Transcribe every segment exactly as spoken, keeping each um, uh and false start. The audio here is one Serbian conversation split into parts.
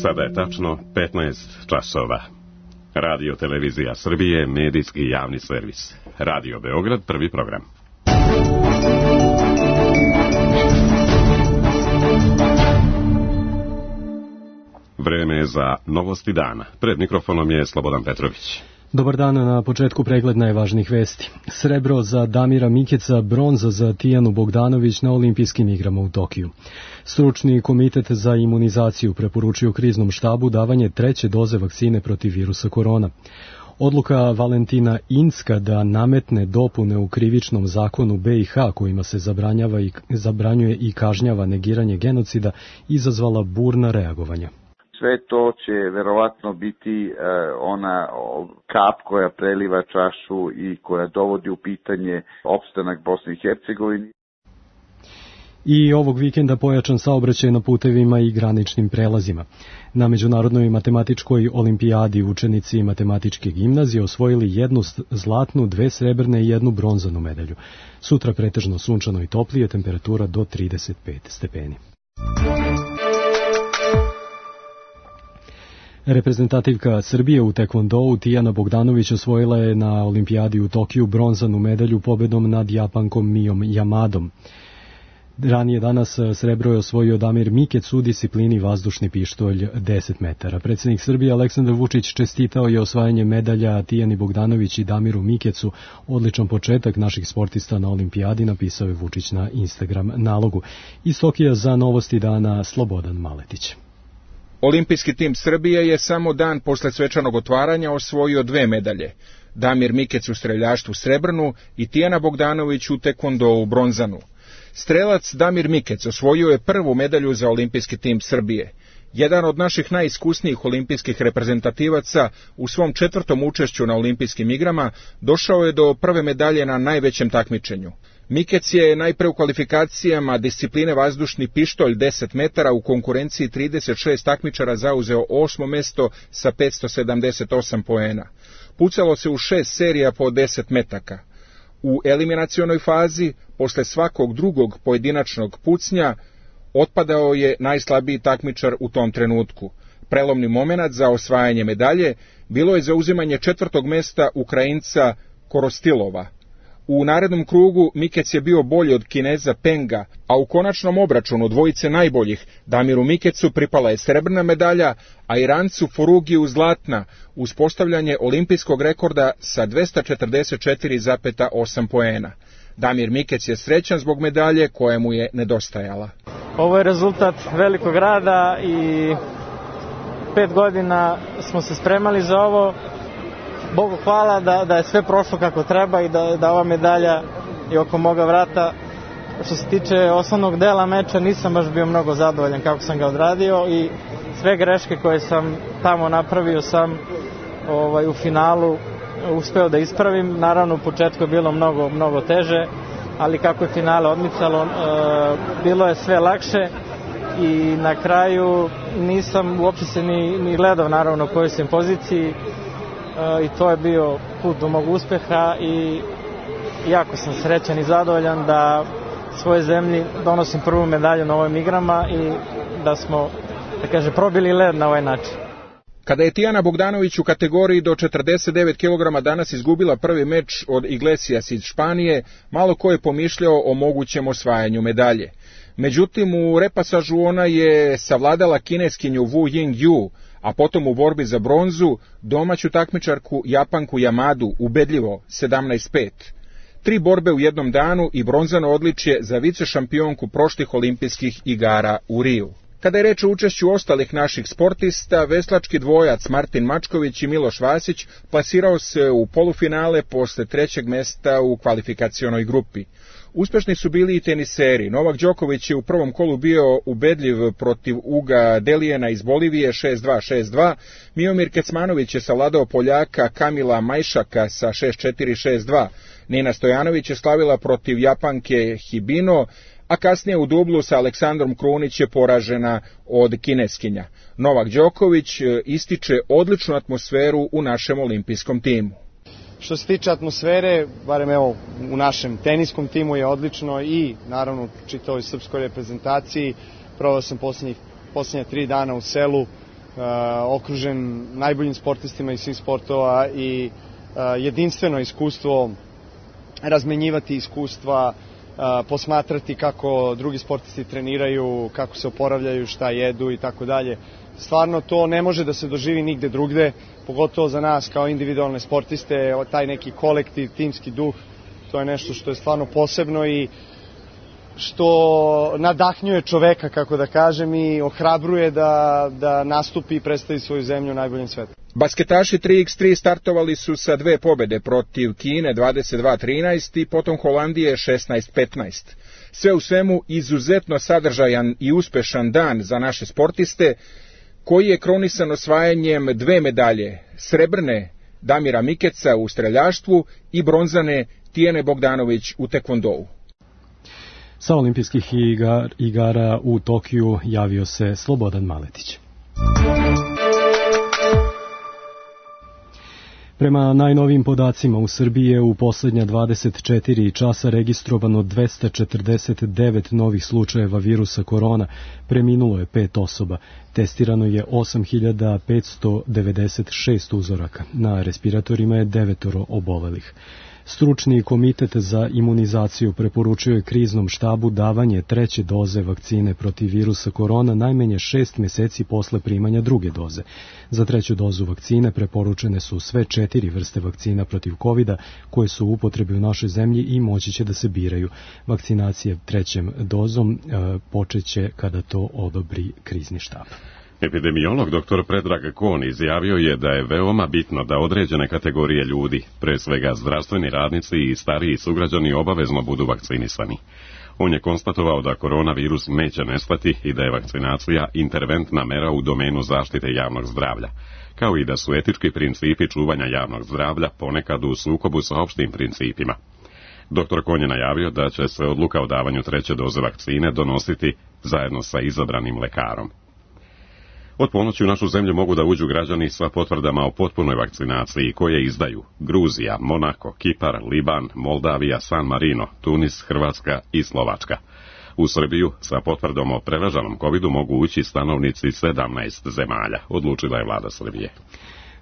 Sada je tačno petnaest časova. Radio Televizija Srbije, medijski javni servis. Radio Beograd, prvi program. Vreme je za novosti dana. Pred mikrofonom je Slobodan Petrović. Dobar dan, na početku pregled najvažnijih vesti. Srebro za Damira Mikeca, bronza za Tijanu Bogdanović na olimpijskim igrama u Tokiju. Stručni komitet za imunizaciju preporučio kriznom štabu davanje treće doze vakcine protiv virusa korona. Odluka Valentina Incka da nametne dopune u krivičnom zakonu B i H kojima se zabranjava i, zabranjuje i kažnjava negiranje genocida izazvala burna reagovanja. Sve to će verovatno biti e, ona kap koja preliva čašu i koja dovodi u pitanje opstanak Bosne i Hercegovine. I ovog vikenda pojačan saobraćaj na putevima i graničnim prelazima. Na Međunarodnoj matematičkoj olimpijadi učenici matematičke gimnazije osvojili jednu zlatnu, dve srebrne i jednu bronzanu medalju. Sutra pretežno sunčano i toplije, temperatura do trideset pet stepeni. Reprezentativka Srbije u tekvondou Tijana Bogdanović osvojila je na olimpijadi u Tokiju bronzanu medalju pobedom nad Japankom Mijom Yamadom. Ranije danas srebro je osvojio Damir Mikec u disciplini vazdušni pištolj deset metara. Predsjednik Srbije Aleksandar Vučić čestitao je osvajanje medalja Tijani Bogdanović i Damiru Mikecu. Odličan početak naših sportista na olimpijadi, napisao je Vučić na Instagram nalogu. Iz Tokija za novosti dana Slobodan Maletić. Olimpijski tim Srbije je samo dan posle svečanog otvaranja osvojio dve medalje. Damir Mikec u streljaštvu srebrnu i Tijana Bogdanović u tekvondou bronzanu. Strelac Damir Mikec osvojio je prvu medalju za olimpijski tim Srbije. Jedan od naših najiskusnijih olimpijskih reprezentativaca u svom četvrtom učešću na olimpijskim igrama došao je do prve medalje na najvećem takmičenju. Mikec je najpre u kvalifikacijama discipline vazdušni pištolj deset metara u konkurenciji trideset šest takmičara zauzeo osmo mesto sa petsto sedamdeset osam poena. Pucalo se u šest serija po deset metaka. U eliminacionoj fazi, posle svakog drugog pojedinačnog pucnja, otpadao je najslabiji takmičar u tom trenutku. Prelomni momenat za osvajanje medalje bilo je zauzimanje četvrtog mesta Ukrajinca Korostilova. U narednom krugu Mikec je bio bolji od Kineza Penga, a u konačnom obračunu dvojice najboljih Damiru Mikecu pripala je srebrna medalja, a Irancu Furugiju zlatna, uz postavljanje olimpijskog rekorda sa dvesta četrdeset četiri zarez osam poena. Damir Mikec je srećan zbog medalje koja mu je nedostajala. Ovo je rezultat velikog rada i pet godina smo se spremali za ovo. Bogu hvala da, da je sve prošlo kako treba i da, da ova medalja je oko moga vrata. Što se tiče osnovnog dela meča, nisam baš bio mnogo zadovoljan kako sam ga odradio i sve greške koje sam tamo napravio sam ovaj, u finalu uspeo da ispravim. Naravno, u početku je bilo mnogo, mnogo teže, ali kako je finale odmicalo, e, bilo je sve lakše i na kraju nisam uopće se ni, ni gledao naravno u kojoj sam poziciji. I to je bio put do mog uspeha i jako sam srećan i zadovoljan da svojoj zemlji donosim prvu medalju na ovim igrama i da smo, da kaže, probili led na ovaj način. Kada je Tijana Bogdanović u kategoriji do četrdeset devet kilograma danas izgubila prvi meč od Iglesias iz Španije, malo ko je pomišljao o mogućem osvajanju medalje. Međutim, u repasažu ona je savladala kineskinju Wu Ying-ju, a potom u borbi za bronzu domaću takmičarku Japanku Yamadu ubedljivo sedamnaest pet. Tri borbe u jednom danu i bronzano odličje za vice šampionku prošlih olimpijskih igara u Riju. Kada je reč o učešću ostalih naših sportista, veslački dvojac Martin Mačković i Miloš Vasić plasirao se u polufinale posle trećeg mesta u kvalifikacionoj grupi. Uspešni su bili i teniseri. Novak Đoković je u prvom kolu bio ubedljiv protiv Uga Delijena iz Bolivije šest dva šest dva. Miomir Kecmanović je savladao Poljaka Kamila Majšaka sa šest četiri šest dva. Nina Stojanović je slavila protiv Japanke Hibino, a kasnije u dublu sa Aleksandrom Krunić je poražena od Kineskinja. Novak Đoković ističe odličnu atmosferu u našem olimpijskom timu. Što se tiče atmosfere, barem evo u našem teniskom timu je odlično i naravno čitavoj srpskoj reprezentaciji. Proveo sam posljednjih, posljednja tri dana u selu okružen najboljim sportistima iz svih sportova i jedinstveno iskustvo, razmenjivati iskustva, posmatrati kako drugi sportisti treniraju, kako se oporavljaju, šta jedu i tako dalje. Stvarno to ne može da se doživi nigde drugde, pogotovo za nas kao individualne sportiste, taj neki kolektiv, timski duh, to je nešto što je stvarno posebno i što nadahnjuje čoveka, kako da kažem, i ohrabruje da, da nastupi i predstavi svoju zemlju u najboljem svetu. Basketaši tri iks tri startovali su sa dve pobede protiv Kine dvadeset dva trinaest i potom Holandije šesnaest petnaest. Sve u svemu izuzetno sadržajan i uspešan dan za naše sportiste, koji je kronisan osvajanjem dve medalje, srebrne Damira Mikeca u streljaštvu i bronzane Tijane Bogdanović u tekvondou. Sa olimpijskih igar, igara u Tokiju javio se Slobodan Maletić. Prema najnovijim podacima u Srbiji je u posljednja dvadeset četiri časa registrovano dvesta četrdeset devet novih slučajeva virusa korona, preminulo je pet osoba, testirano je osam hiljada petsto devedeset šest uzoraka, na respiratorima je devetoro obolelih. Stručni komitet za imunizaciju preporučio je kriznom štabu davanje treće doze vakcine protiv virusa korona najmanje šest meseci posle primanja druge doze. Za treću dozu vakcine preporučene su sve četiri vrste vakcina protiv kovida koje su u upotrebi u našoj zemlji i moći će da se biraju. Vakcinacije trećem dozom e, počeće kada to odobri krizni štab. Epidemiolog doktor Predrag Kon izjavio je da je veoma bitno da određene kategorije ljudi, pre svega zdravstveni radnici i stariji sugrađani, obavezno budu vakcinisani. On je konstatovao da koronavirus neće nestati i da je vakcinacija interventna mera u domenu zaštite javnog zdravlja, kao i da su etički principi čuvanja javnog zdravlja ponekad u sukobu sa opštim principima. Doktor Kon je najavio da će se odluka o davanju treće doze vakcine donositi zajedno sa izabranim lekarom. Od ponoći u našu zemlju mogu da uđu građani sa potvrdama o potpunoj vakcinaciji koje izdaju Gruzija, Monako, Kipar, Liban, Moldavija, San Marino, Tunis, Hrvatska i Slovačka. U Srbiju sa potvrdom o preraženom kovidu mogu ući stanovnici sedamnaest zemalja, odlučila je vlada Srbije.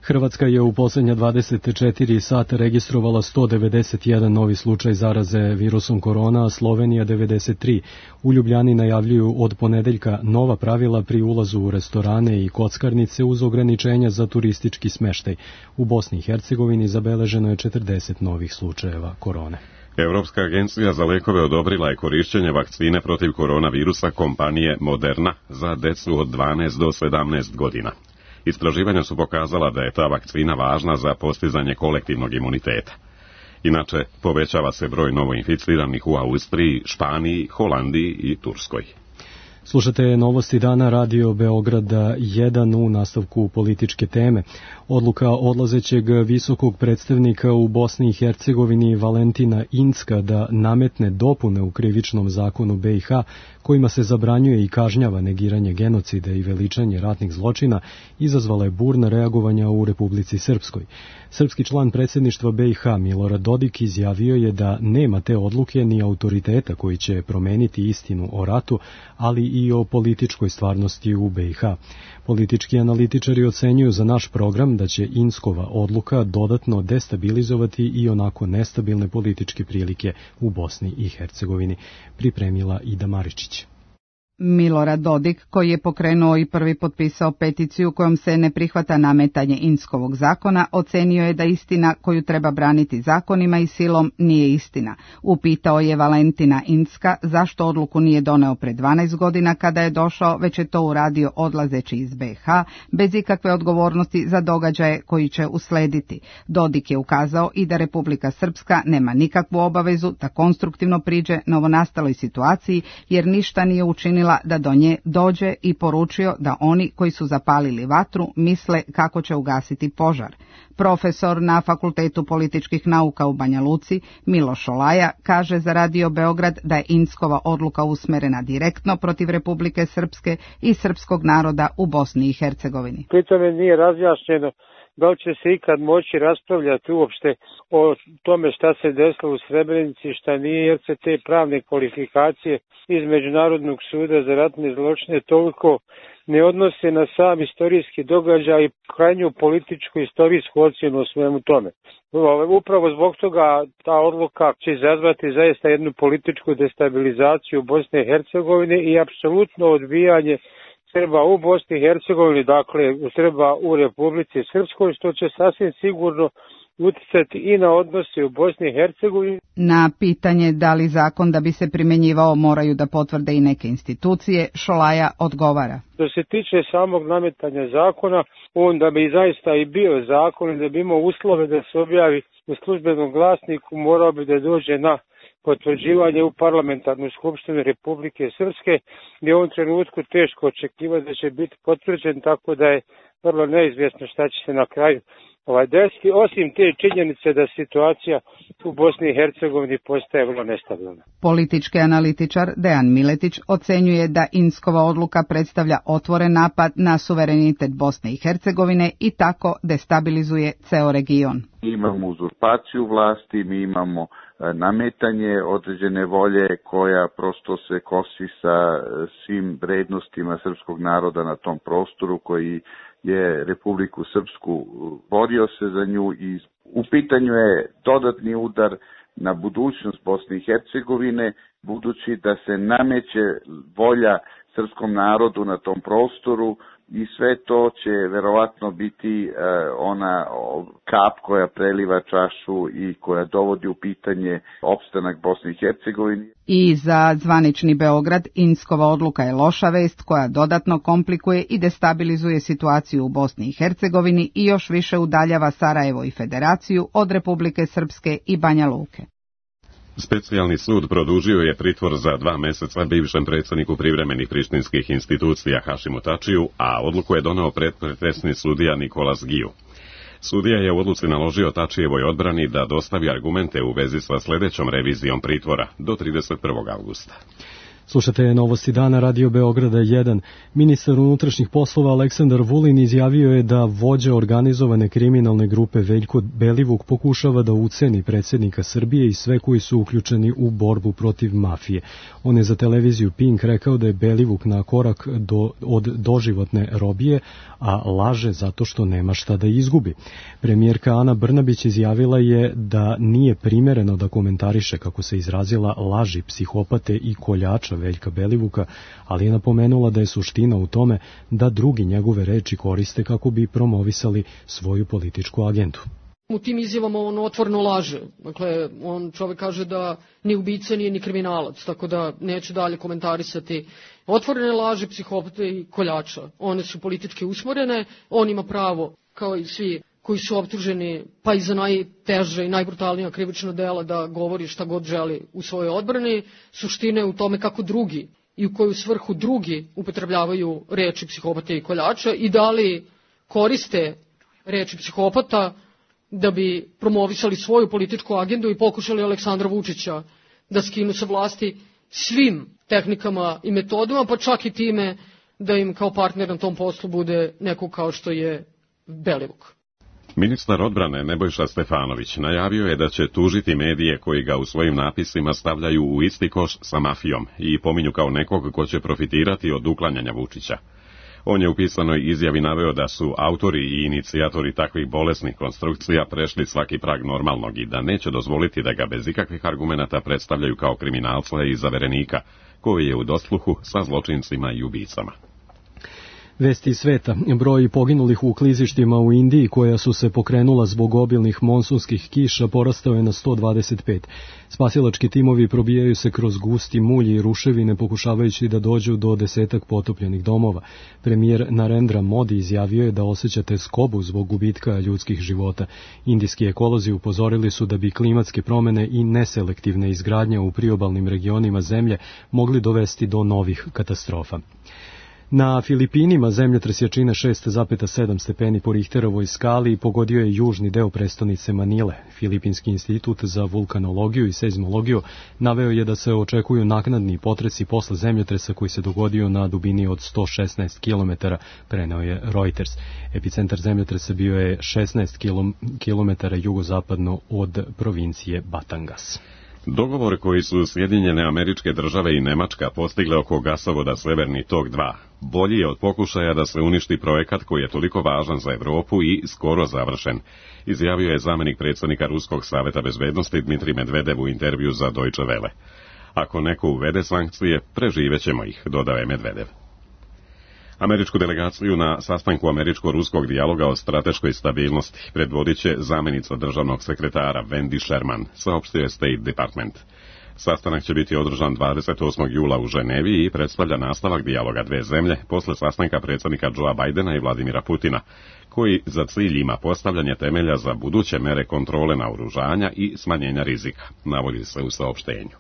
Hrvatska je u posljednja dvadeset četiri sata registrovala sto devedeset jedan novi slučaj zaraze virusom korona, a Slovenija devedeset tri. U Ljubljani najavljuju od ponedeljka nova pravila pri ulazu u restorane i kockarnice uz ograničenja za turistički smeštaj. U Bosni i Hercegovini zabeleženo je četrdeset novih slučajeva korone. Evropska agencija za lekove odobrila je korišćenje vakcine protiv koronavirusa kompanije Moderna za decu od dvanaest do sedamnaest godina. Istraživanja su pokazala da je ta vakcina važna za postizanje kolektivnog imuniteta. Inače, povećava se broj novoinficiranih u Austriji, Španiji, Holandiji i Turskoj. Slušate novosti dana Radio Beograda jedan u nastavku političke teme. Odluka odlazećeg visokog predstavnika u Bosni i Hercegovini Valentina Incka da nametne dopune u krivičnom zakonu be i ha kojima se zabranjuje i kažnjava negiranje genocida i veličanje ratnih zločina izazvala je burna reagovanja u Republici Srpskoj. Srpski član predsjedništva be i ha Milorad Dodik izjavio je da nema te odluke ni autoriteta koji će promeniti istinu o ratu, ali i o političkoj stvarnosti u be i ha. Politički analitičari ocenjuju za naš program da će Inckova odluka dodatno destabilizovati i onako nestabilne političke prilike u Bosni i Hercegovini, pripremila Ida Maričić. Milorad Dodik, koji je pokrenuo i prvi potpisao peticiju kojom se ne prihvata nametanje Inckovog zakona, ocenio je da istina koju treba braniti zakonima i silom nije istina. Upitao je Valentina Incka zašto odluku nije doneo pre dvanaest godina kada je došao, već je to uradio odlazeći iz be i ha, bez ikakve odgovornosti za događaje koji će uslediti. Dodik je ukazao i da Republika Srpska nema nikakvu obavezu da konstruktivno priđe novonastaloj situaciji, jer ništa nije učinila da do nje dođe i poručio da oni koji su zapalili vatru misle kako će ugasiti požar. Profesor na Fakultetu političkih nauka u Banja Luci, Miloš Olaja, kaže za Radio Beograd da je Inckova odluka usmerena direktno protiv Republike Srpske i srpskog naroda u Bosni i Hercegovini. Pri tome nije razjašnjeno da li će se ikad moći raspravljati uopšte o tome šta se desilo u Srebrenici, šta nije, jer se te pravne kvalifikacije iz Međunarodnog suda za ratne zločine toliko ne odnose na sam istorijski događaj i krajnju političku istorijsku ocjenu o svemu tome. Upravo zbog toga ta odluka će izazvati zaista jednu političku destabilizaciju Bosne i Hercegovine i apsolutno odbijanje Srba u Bosni i Hercegovini, dakle Srba u Republici Srpskoj, što će sasvim sigurno uticati i na odnose u Bosni i Hercegovini. Na pitanje da li zakon da bi se primjenjivao moraju da potvrde i neke institucije, Šolaja odgovara. Što se tiče samog nametanja zakona, on da bi zaista i bio zakon i da bi imao uslove da se objavi u službenom glasniku, morao bi da dođe na potvrđivanje u parlamentarnu skupštinu Republike Srpske, gdje je u ovom trenutku teško očekivati da će biti potvrđen, tako da je vrlo neizvjesno šta će se na kraju ovaj desiti, osim te činjenice da situacija u Bosni i Hercegovini postaje vrlo nestabilna. Politički analitičar Dejan Miletić ocenjuje da Inckova odluka predstavlja otvoren napad na suverenitet Bosne i Hercegovine i tako destabilizuje ceo region. Imamo uzurpaciju vlasti, mi imamo nametanje određene volje koja prosto se kosi sa svim vrednostima srpskog naroda na tom prostoru koji je Republiku Srpsku borio se za nju i u pitanju je dodatni udar na budućnost Bosne i Hercegovine, budući da se nameće volja srpskom narodu na tom prostoru i sve to će verovatno biti uh, ona kap koja preliva čašu i koja dovodi u pitanje opstanak Bosne i Hercegovine. I za zvanični Beograd Inckova odluka je loša vest koja dodatno komplikuje i destabilizuje situaciju u Bosni i Hercegovini i još više udaljava Sarajevo i Federaciju od Republike Srpske i Banja Luke. Specijalni sud produžio je pritvor za dva meseca bivšem predsjedniku privremenih prištinskih institucija Hašimu Tačiju, a odluku je doneo predpretresni sudija Nikolas Giju. Sudija je u odluci naložio Tačijevoj odbrani da dostavi argumente u vezi sa sljedećom revizijom pritvora do trideset prvog avgusta. Slušate Novosti dana, Radio Beograda jedan. Ministar unutrašnjih poslova Aleksandar Vulin izjavio je da vođa organizovane kriminalne grupe Veljko Belivuk pokušava da uceni predsjednika Srbije i sve koji su uključeni u borbu protiv mafije. On je za televiziju Pink rekao da je Belivuk na korak do, od doživotne robije, a laže zato što nema šta da izgubi. Premijerka Ana Brnabić izjavila je da nije primereno da komentariše, kako se izrazila, laži psihopate i koljača Veljka Belivuka, ali je napomenula da je suština u tome da drugi njegove reči koriste kako bi promovisali svoju političku agendu. U tim izjavama on otvoreno laže. Dakle, on čovjek kaže da ni ubica nije ni kriminalac, tako da neću dalje komentarisati. Otvorene laže psihopate i koljača. One su politički usmorene, on ima pravo, kao i svi koji su optuženi, pa i za najteže i najbrutalnija krivična dela, da govori šta god želi u svojoj odbrani. Suština je u tome kako drugi i u koju svrhu drugi upotrebljavaju reči psihopata i koljača i da li koriste reči psihopata da bi promovisali svoju političku agendu i pokušali Aleksandra Vučića da skinu sa vlasti svim tehnikama i metodama, pa čak i time da im kao partner na tom poslu bude neko kao što je Belivuk. Ministar odbrane Nebojša Stefanović najavio je da će tužiti medije koji ga u svojim napisima stavljaju u isti koš sa mafijom i pominju kao nekog ko će profitirati od uklanjanja Vučića. On je u pisanoj izjavi naveo da su autori i inicijatori takvih bolesnih konstrukcija prešli svaki prag normalnog i da neće dozvoliti da ga bez ikakvih argumenata predstavljaju kao kriminalca i zaverenika, koji je u dosluhu sa zločincima i ubicama. Vesti iz sveta. Broj poginulih u klizištima u Indiji koja su se pokrenula zbog obilnih monsunskih kiša porastao je na sto dvadeset pet. Spasilački timovi probijaju se kroz gusti mulj i ruševine pokušavajući da dođu do desetak potopljenih domova. Premijer Narendra Modi izjavio je da osjećate skobu zbog gubitka ljudskih života. Indijski ekolozi upozorili su da bi klimatske promjene i neselektivne izgradnje u priobalnim regionima zemlje mogli dovesti do novih katastrofa. Na Filipinima zemljotres jačine šest zarez sedam stepeni po Richterovoj skali pogodio je južni deo prestonice Manile. Filipinski institut za vulkanologiju i seizmologiju naveo je da se očekuju naknadni potresi posle zemljotresa koji se dogodio na dubini od sto šesnaest kilometara, preneo je Reuters. Epicentar zemljotresa bio je šesnaest kilometara jugozapadno od provincije Batangas. Dogovor koji su Sjedinjene Američke Države i Nemačka postigle oko gasovoda Severni tok dva bolji je od pokušaja da se uništi projekat koji je toliko važan za Evropu i skoro završen, izjavio je zamenik predsjednika Ruskog saveta bezbednosti Dmitrij Medvedev u intervju za Deutsche Welle. Ako neko uvede sankcije, preživećemo ih, dodao je Medvedev. Američku delegaciju na sastanku američko-ruskog dijaloga o strateškoj stabilnosti predvodit će zamenica državnog sekretara Wendy Sherman, saopštio je State Department. Sastanak će biti održan dvadeset osmog jula u Ženevi i predstavlja nastavak dijaloga dve zemlje posle sastanka predsjednika Joea Bidena i Vladimira Putina, koji za cilj ima postavljanje temelja za buduće mere kontrole naoružanja i smanjenja rizika, navodi se u saopštenju.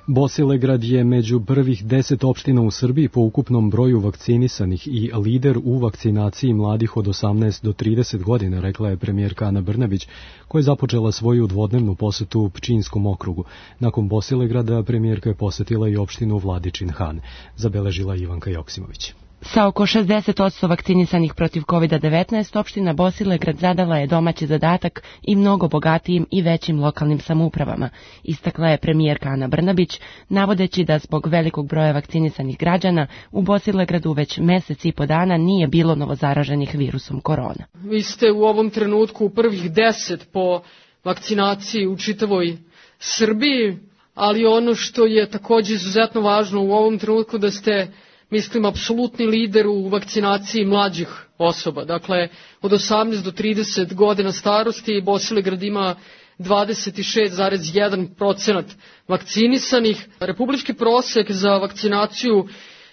Bosilegrad je među prvih deset opština u Srbiji po ukupnom broju vakcinisanih i lider u vakcinaciji mladih od osamnaest do trideset godina, rekla je premijerka Ana Brnabić, koja je započela svoju dvodnevnu posetu Pčinjskom okrugu. Nakon Bosilegrada premijerka je posetila i opštinu Vladičin Han, zabeležila Ivanka Joksimović. Sa oko šezdeset posto vakcinisanih protiv kovid devetnaest, opština Bosilegrad zadala je domaći zadatak i mnogo bogatijim i većim lokalnim samoupravama, istakla je premijerka Ana Brnabić, navodeći da zbog velikog broja vakcinisanih građana u Bosilegradu već mesec i po dana nije bilo novozaraženih virusom korona. Vi ste u ovom trenutku u prvih deset po vakcinaciji u čitavoj Srbiji, ali ono što je također izuzetno važno u ovom trenutku da ste, mislim, apsolutni lider u vakcinaciji mlađih osoba. Dakle, od osamnaest do trideset godina starosti Bosilegrad ima dvadeset šest zarez jedan procenat vakcinisanih. Republički prosek za vakcinaciju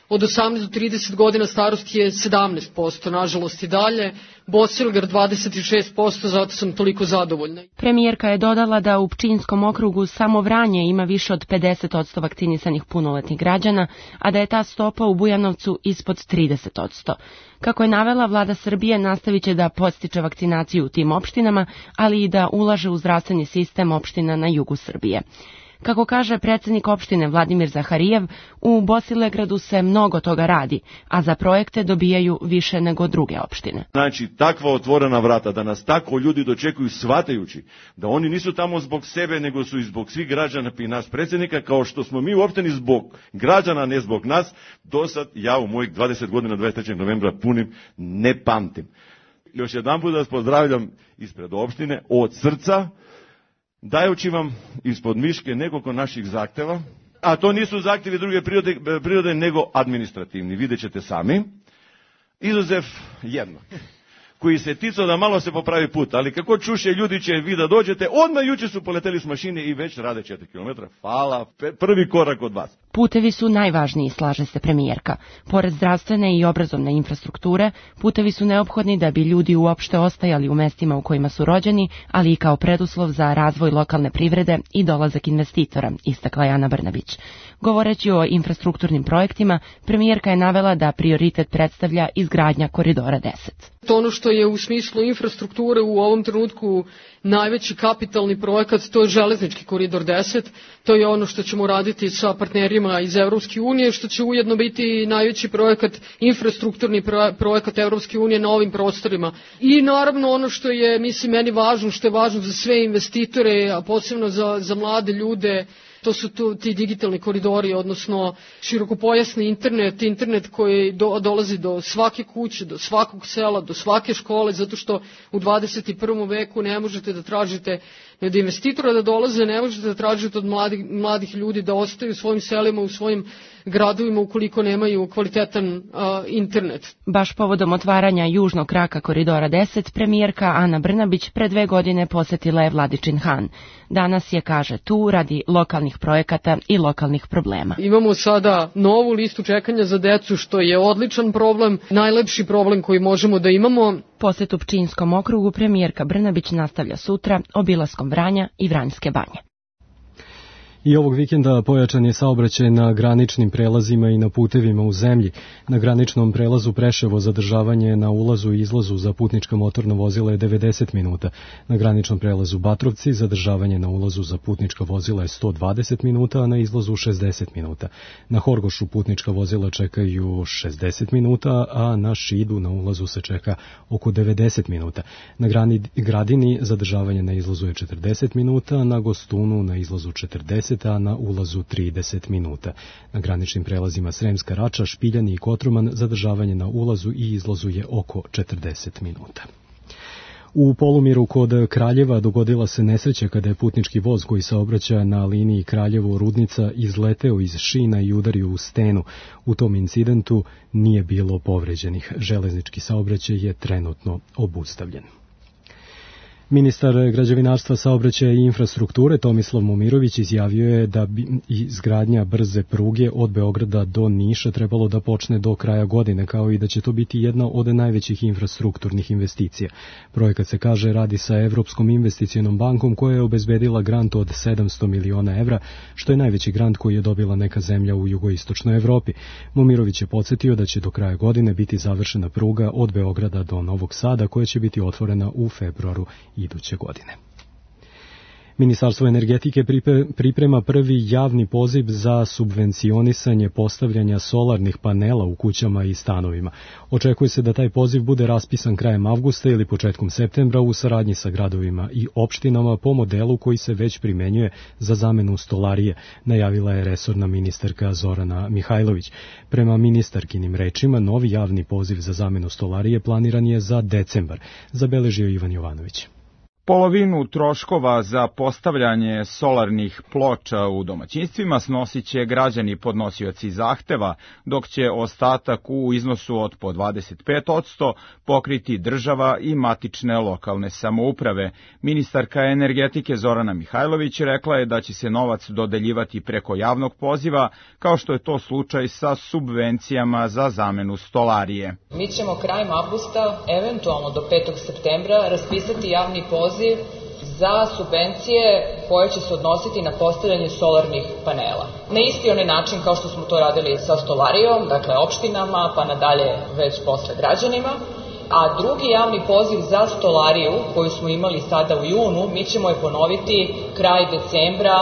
od osamnaest do trideset godina starosti je sedamnaest posto, nažalost i dalje. Bosilegrad dvadeset šest posto, zato sam toliko zadovoljna. Premijerka je dodala da u Pčinjskom okrugu samo Vranje ima više od pedeset posto vakcinisanih punoletnih građana, a da je ta stopa u Bujanovcu ispod trideset posto. Kako je navela, vlada Srbije nastavit će da podstiče vakcinaciju u tim opštinama, ali i da ulaže u zdravstveni sistem opština na jugu Srbije. Kako kaže predsjednik opštine Vladimir Zaharijev, u Bosilegradu se mnogo toga radi, a za projekte dobijaju više nego druge opštine. Znači, takva otvorena vrata, da nas tako ljudi dočekuju shvatajući da oni nisu tamo zbog sebe, nego su i zbog svih građana i nas predsjednika, kao što smo mi u opštini zbog građana, ne zbog nas, do sad ja u mojih dvadeset godina dvadeset trećeg novembra punim ne pamtim. Još jedan put vas pozdravljam ispred opštine od srca, dajući vam ispod miške nekoliko naših zahteva, a to nisu zahtjevi druge prirode, prirode nego administrativni, vidjet ćete sami, izuzev jedno, koji se ticao da malo se popravi put, ali kako čuše ljudi će vi da dođete, odmah juče su poleteli s mašine i već rade četiri kilometra, hvala, prvi korak od vas. Putevi su najvažniji, slaže se premijerka. Pored zdravstvene i obrazovne infrastrukture, putevi su neophodni da bi ljudi uopšte ostajali u mestima u kojima su rođeni, ali i kao preduslov za razvoj lokalne privrede i dolazak investitora, istakla je Ana Brnabić. Govoreći o infrastrukturnim projektima, premijerka je navela da prioritet predstavlja izgradnja Koridora deset. To ono što je u smislu infrastrukture u ovom trenutku najveći kapitalni projekat, to je železnički Koridor deset, to je ono što ćemo raditi sa partnerima iz Evropske unije, što će ujedno biti najveći projekat, infrastrukturni projekat Evropske unije na ovim prostorima. I naravno ono što je, mislim, meni važno, što je važno za sve investitore, a posebno za, za mlade ljude, to su tu, ti digitalni koridori, odnosno širokopojasni internet, internet koji do, dolazi do svake kuće, do svakog sela, do svake škole, zato što u dvadeset prvom veku ne možete da tražite od investitora da dolaze, ne možete da tražite od mladih, mladih ljudi da ostaju u svojim selima, u svojim gradovima ukoliko nemaju kvalitetan uh, internet. Baš povodom otvaranja južnog kraka Koridora deset, premijerka Ana Brnabić pre dve godine posetila je Vladičin Han. Danas je, kaže, tu radi lokalnih projekata i lokalnih problema. Imamo sada novu listu čekanja za decu, što je odličan problem, najlepši problem koji možemo da imamo. Posetu Pčinjskom okrugu premijerka Brnabić nastavlja sutra obilaskom Vranja i Vranjske banje. I ovog vikenda pojačan je saobraćaj na graničnim prelazima i na putevima u zemlji. Na graničnom prelazu Preševo zadržavanje na ulazu i izlazu za putnička motorna vozila je devedeset minuta. Na graničnom prelazu Batrovci zadržavanje na ulazu za putnička vozila je sto dvadeset minuta, a na izlazu šezdeset minuta. Na Horgošu putnička vozila čekaju šezdeset minuta, a na Šidu na ulazu se čeka oko devedeset minuta. Na Gradini zadržavanje na izlazu je četrdeset minuta, na Gostunu na izlazu četrdeset, a na ulazu trideset minuta. Na graničnim prelazima Sremska Rača, Špiljani i Kotroman zadržavanje na ulazu i izlazu je oko četrdeset minuta. U Polumiru kod Kraljeva dogodila se nesreća kada je putnički voz koji saobraća na liniji Kraljevo-Rudnica izleteo iz šina i udario u stenu. U tom incidentu nije bilo povređenih. Železnički saobraćaj je trenutno obustavljen. Ministar građevinarstva, saobraćaja i infrastrukture Tomislav Momirović izjavio je da bi izgradnja brze pruge od Beograda do Niša trebalo da počne do kraja godine, kao i da će to biti jedna od najvećih infrastrukturnih investicija. Projekat se, kaže, radi sa Evropskom investicionom bankom koja je obezbedila grant od sedamsto miliona evra, što je najveći grant koji je dobila neka zemlja u jugoistočnoj Evropi. Momirović je podsjetio da će do kraja godine biti završena pruga od Beograda do Novog Sada, koja će biti otvorena u februaru iduće godine. Ministarstvo energetike priprema prvi javni poziv za subvencionisanje postavljanja solarnih panela u kućama i stanovima. Očekuje se da taj poziv bude raspisan krajem avgusta ili početkom septembra u saradnji sa gradovima i opštinama po modelu koji se već primenjuje za zamenu stolarije, najavila je resorna ministarka Zorana Mihajlović. Prema ministarkinim rečima, novi javni poziv za zamenu stolarije planiran je za decembar, zabeležio Ivan Jovanović. Polovinu troškova za postavljanje solarnih ploča u domaćinstvima snosit će građani podnosioci zahteva, dok će ostatak u iznosu od po dvadeset pet posto pokriti država i matične lokalne samouprave. Ministarka energetike Zorana Mihajlović rekla je da će se novac dodeljivati preko javnog poziva, kao što je to slučaj sa subvencijama za zamenu stolarije. Mi ćemo krajem avgusta, eventualno do petog septembra, raspisati javni poziv za subvencije koje će se odnositi na postavljanje solarnih panela. Na isti onaj način kao što smo to radili sa stolarijom, dakle opštinama, pa nadalje već posle građanima. A drugi javni poziv za stolariju koju smo imali sada u junu, mi ćemo je ponoviti kraj decembra,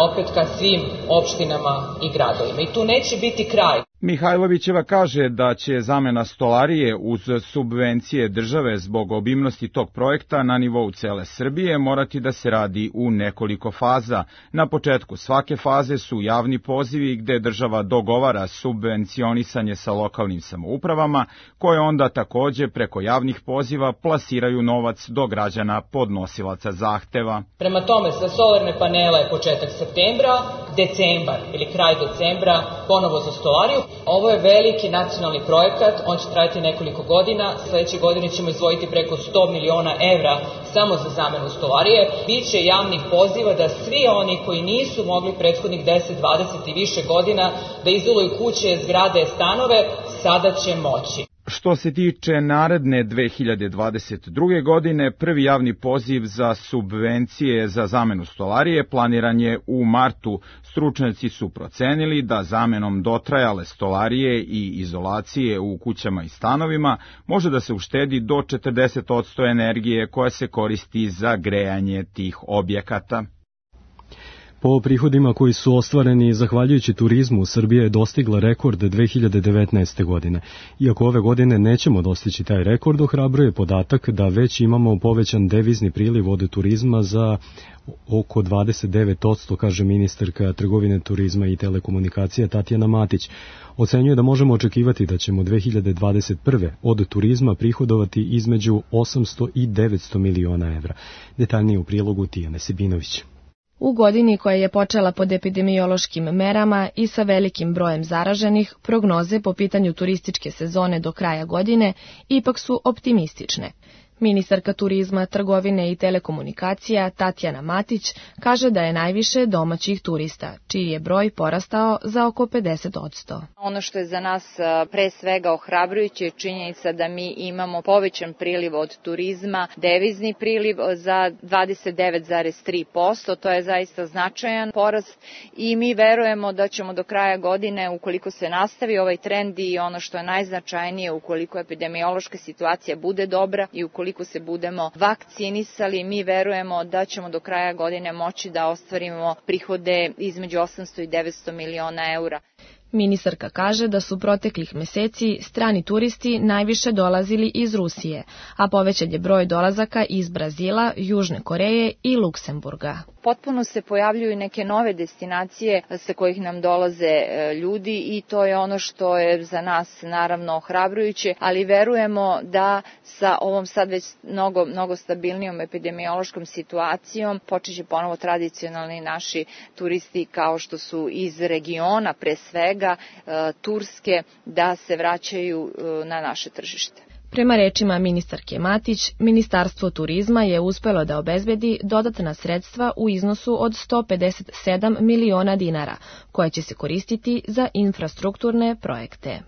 opet ka svim opštinama i gradovima. I tu neće biti kraj. Mihajlovićeva kaže da će zamena stolarije uz subvencije države zbog obimnosti tog projekta na nivou cele Srbije morati da se radi u nekoliko faza. Na početku svake faze su javni pozivi gde država dogovara subvencionisanje sa lokalnim samoupravama, koje onda takođe preko javnih poziva plasiraju novac do građana podnosilaca zahteva. Prema tome, za solarne panele je početak septembra, decembar ili kraj decembra ponovo za stolariju. Ovo je veliki nacionalni projekat, on će trajati nekoliko godina, sledeće godine ćemo izdvojiti preko sto miliona evra samo za zamenu stolarije. Biće javnih poziva da svi oni koji nisu mogli prethodnih deset, dvadeset i više godina da izoluju kuće, zgrade, stanove, sada će moći. Što se tiče naredne dve hiljade dvadeset druge. godine, prvi javni poziv za subvencije za zamenu stolarije planiran je u martu. Stručnjaci su procenili da zamenom dotrajale stolarije i izolacije u kućama i stanovima može da se uštedi do četrdeset posto energije koja se koristi za grejanje tih objekata. Po prihodima koji su ostvareni zahvaljujući turizmu, Srbija je dostigla rekord dve hiljade devetnaeste. godine. Iako ove godine nećemo dostići taj rekord, ohrabruje podatak da već imamo povećan devizni priliv od turizma za oko dvadeset devet posto, kaže ministarka trgovine, turizma i telekomunikacija Tatjana Matić. Ocenjuje da možemo očekivati da ćemo dve hiljade dvadeset prve. od turizma prihodovati između osamsto i devetsto miliona evra. Detaljnije u prilogu Tijane Sebinović. U godini koja je počela pod epidemiološkim merama i sa velikim brojem zaraženih, prognoze po pitanju turističke sezone do kraja godine ipak su optimistične. Ministarka turizma, trgovine i telekomunikacija Tatjana Matić kaže da je najviše domaćih turista, čiji je broj porastao za oko pedeset posto. Ono što je za nas pre svega ohrabrujuće je činjenica da mi imamo povećan priliv od turizma, devizni priliv za dvadeset devet zarez tri posto, to je zaista značajan porast i mi verujemo da ćemo do kraja godine, ukoliko se nastavi ovaj trend i ono što je najznačajnije, ukoliko epidemiološka situacija bude dobra i ukoliko se budemo vakcinisali, mi verujemo da ćemo do kraja godine moći da ostvarimo prihode između osamsto i devetsto miliona eura. Ministarka kaže da su proteklih meseci strani turisti najviše dolazili iz Rusije, a povećan je broj dolazaka iz Brazila, Južne Koreje i Luksemburga. Potpuno se pojavljuju neke nove destinacije sa kojih nam dolaze ljudi i to je ono što je za nas naravno ohrabrujuće, ali verujemo da sa ovom sad već mnogo, mnogo stabilnijom epidemiološkom situacijom počeće ponovo tradicionalni naši turisti kao što su iz regiona pre svega Turske da se vraćaju na naše tržište. Prema rečima ministarke Matić, Ministarstvo turizma je uspelo da obezbedi dodatna sredstva u iznosu od sto pedeset sedam miliona dinara, koja će se koristiti za infrastrukturne projekte.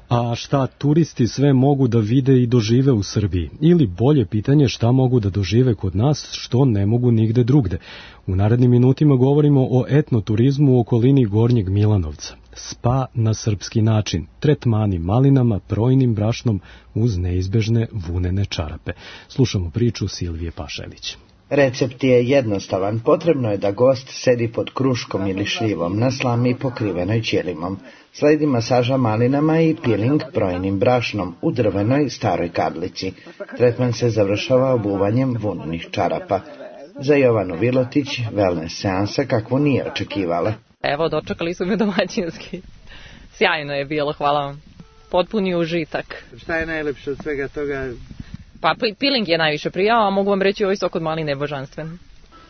A šta turisti sve mogu da vide i dožive u Srbiji? Ili bolje pitanje, šta mogu da dožive kod nas, što ne mogu nigde drugde? U narednim minutima govorimo o etnoturizmu u okolini Gornjeg Milanovca. Spa na srpski način, tretmani malinama, projnim brašnom uz neizbežne vunene čarape. Slušamo priču Silvije Pašelić. Recept je jednostavan, potrebno je da gost sedi pod kruškom ili šljivom na slami pokrivenoj ćelimom. Sledi masaža malinama i piling projnim brašnom u drvenoj staroj kadlici. Tretman se završava obuvanjem vunenih čarapa. Za Jovanu Vilotić wellness seansa kakvu nije očekivala. Evo, dočekali su me domaćinski. Sjajno je bilo, hvala vam. Potpuni užitak. Šta je najlepše od svega toga? Pa piling je najviše prijao, a mogu vam reći ovaj sok od maline je božanstven.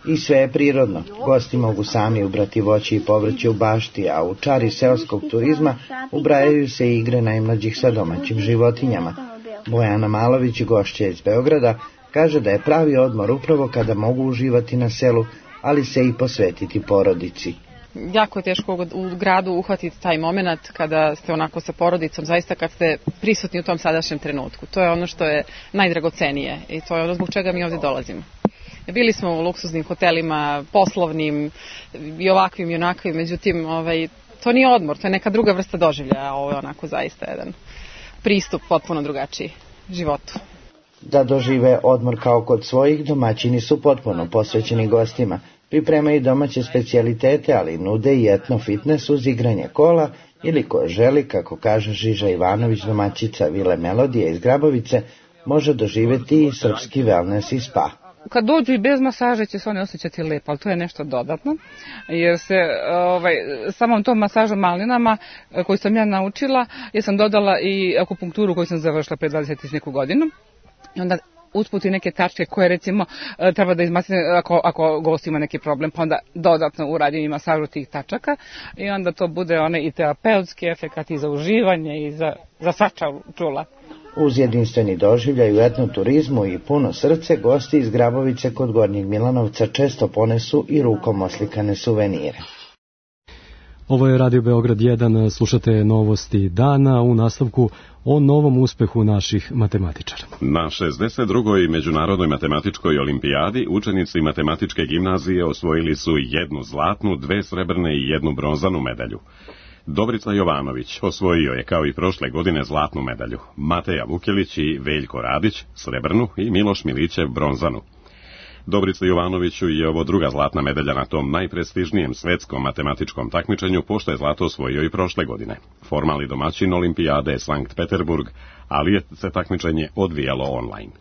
I sve je prirodno. Gosti mogu sami ubrati voće i povrće u bašti, a u čari seoskog turizma ubrajaju se i igre najmlađih sa domaćim životinjama. Bojana Malović, gošća iz Beograda, kaže da je pravi odmor upravo kada mogu uživati na selu, ali se i posvetiti porodici. Jako je teško u gradu uhvatiti taj moment kada ste onako sa porodicom, zaista kad ste prisutni u tom sadašnjem trenutku. To je ono što je najdragocenije i to je ono zbog čega mi ovdje dolazimo. Bili smo u luksuznim hotelima, poslovnim i ovakvim i onakvim, međutim ovaj, to nije odmor, to je neka druga vrsta doživljaja, a ovo je onako zaista jedan pristup potpuno drugačiji životu. Da dožive odmor kao kod svojih, domaćini su potpuno posvećeni gostima. Pripremaju domaće specijalitete, ali nude i etno fitness uz igranje kola ili ko želi, kako kaže Žiža Ivanović, domaćica Vile Melodije iz Grabovice, može doživjeti i srpski wellness i spa. Kad dođu i bez masaže će se oni osjećati lepo, ali to je nešto dodatno, jer se ovaj, samom tom masažom malinama koju sam ja naučila, jer sam dodala i akupunkturu koju sam završila pre dvadeset i neku godinu. I onda usput i neke tačke koje recimo treba da izmasne ako, ako gost ima neki problem, pa onda dodatno uradim i masažu tih tačaka i onda to bude one i terapeutski efekat i za uživanje i za, za svača čula. Uz jedinstveni doživljaj u etnoturizmu i puno srce, gosti iz Grabovice kod Gornjeg Milanovca često ponesu i rukom oslikane suvenire. Ovo je Radio Beograd jedan, slušate novosti dana, u nastavku o novom uspehu naših matematičara. Na šezdeset drugoj Međunarodnoj matematičkoj olimpijadi učenici matematičke gimnazije osvojili su jednu zlatnu, dve srebrne i jednu bronzanu medalju. Dobrica Jovanović osvojio je kao i prošle godine zlatnu medalju, Mateja Vukelić i Veljko Radić srebrnu i Miloš Milićev bronzanu. Dobrica Jovanoviću je ovo druga zlatna medalja na tom najprestižnijem svetskom matematičkom takmičenju, pošto je zlato osvojio i prošle godine. Formalni domaćin olimpijade je Sankt Peterburg, ali je se takmičenje odvijalo online.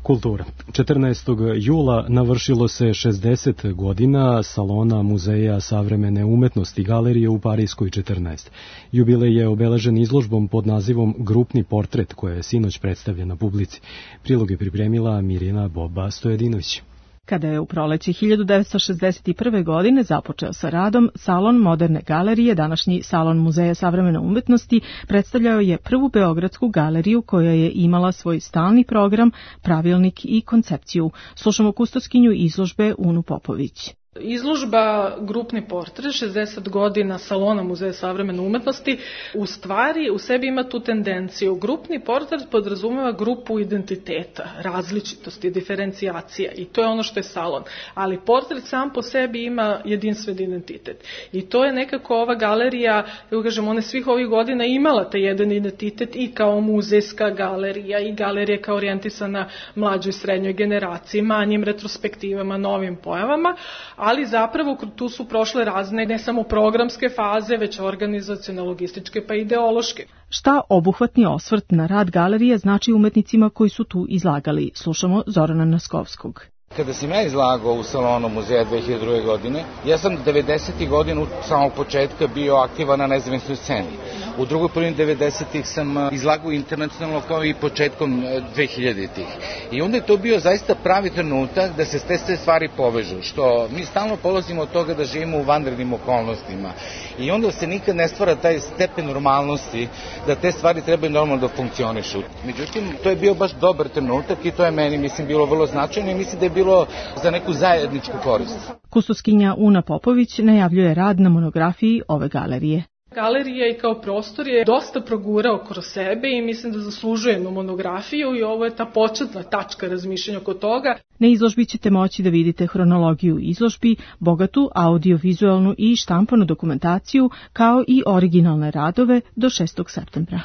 Kultura. četrnaestog jula navršilo se šezdeset godina Salona Muzeja savremene umetnosti galerije u Parijskoj četrnaest. Jubilej je obeležen izložbom pod nazivom Grupni portret, koja je sinoć predstavljena publici. Prilog je pripremila Mirjana Boba Stojedinović. Kada je u proleće hiljadu devetsto šezdeset prve. godine započeo sa radom, Salon moderne galerije, današnji Salon Muzeja savremene umetnosti, predstavljao je prvu beogradsku galeriju koja je imala svoj stalni program, pravilnik i koncepciju. Slušamo kustoskinju izložbe Unu Popović. Izložba Grupni portret, šezdeset godina Salona Muzeja savremene umetnosti, u stvari u sebi ima tu tendenciju. Grupni portret podrazumeva grupu identiteta, različitosti, diferencijacija i to je ono što je salon. Ali portret sam po sebi ima jedinstven identitet. I to je nekako ova galerija, kako kažem, ona svih ovih godina imala taj jedan identitet i kao muzejska galerija i galerija kao orijentisana mlađoj srednjoj generaciji, manjim retrospektivama, novim pojavama, ali zapravo tu su prošle razne ne samo programske faze, već organizacione, logističke pa ideološke. Šta obuhvatni osvrt na rad galerije znači umetnicima koji su tu izlagali? Slušamo Zorana Naskovskog. Kada sam ja izlagao u Salonu muzeja dve hiljade druge. godine, ja sam devedesetih godina u samog početka bio aktivan na nezavisnoj sceni. U drugoj polovini devedesetih sam izlagao internacionalno kao i početkom dve hiljaditih. I onda je to bio zaista pravi trenutak da se te sve stvari povežu, što mi stalno polazimo od toga da živimo u vanrednim okolnostima. I onda se nikad ne stvara taj stepen normalnosti da te stvari trebaju normalno da funkcionišu. Međutim, to je bio baš dobar trenutak i to je meni, mislim, bilo vrlo značajno i mislim da je bilo za neku zajedničku korist. Kustoskinja Una Popović najavljuje rad na monografiji ove galerije. Galerija i kao prostor je dosta progurao kroz sebe i mislim da zaslužuje jednu monografiju i ovo je ta početna tačka razmišljanja oko toga. Na izložbi ćete moći da vidite hronologiju izložbi, bogatu audiovizualnu i štampanu dokumentaciju, kao i originalne radove do šestog septembra.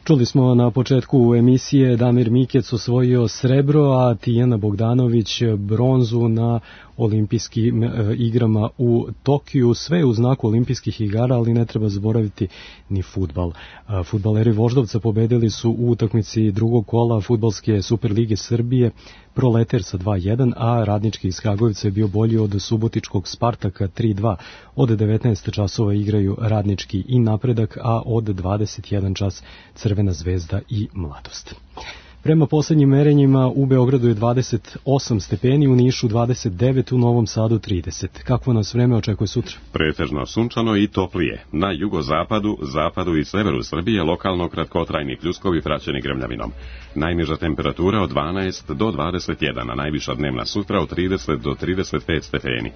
Čuli smo na početku emisije Damir Mikec osvojio srebro, a Tijana Bogdanović bronzu na olimpijskim igrama u Tokiju, sve u znaku olimpijskih igara, ali ne treba zaboraviti ni fudbal. Fudbaleri Voždovca pobedili su u utakmici drugog kola Fudbalske Superlige Srbije Proleter sa dva jedan, a Radnički iz Kragujevca je bio bolji od Subotičkog Spartaka tri dva. Od devetnaest časova igraju Radnički i Napredak, a od dvadeset jedan čas Crvena zvezda i Mladost. Prema poslednjim merenjima u Beogradu je dvadeset osam stepeni, u Nišu dvadeset devet, u Novom Sadu trideset. Kakvo nas vreme očekuje sutra? Pretežno sunčano i toplije. Na jugozapadu, zapadu i severu Srbije lokalno kratkotrajni pljuskovi praćeni grmljavinom. Najniža temperatura od dvanaest do dvadeset jedan, a najviša dnevna sutra od trideset do trideset pet stepeni.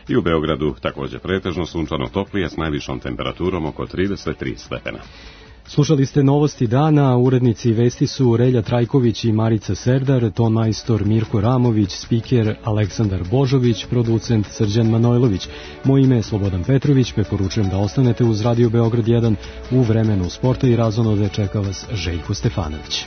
I u Beogradu također pretežno sunčano toplije s najvišom temperaturom oko trideset tri stepena. Slušali ste novosti dana, urednici vesti su Relja Trajković i Marica Serdar, ton majstor Mirko Ramović, spiker Aleksandar Božović, producent Srđan Manojlović. Moje ime je Slobodan Petrović, preporučujem da ostanete uz Radio Beograd jedan. U vremenu sporta i razonode čeka vas Željko Stefanović.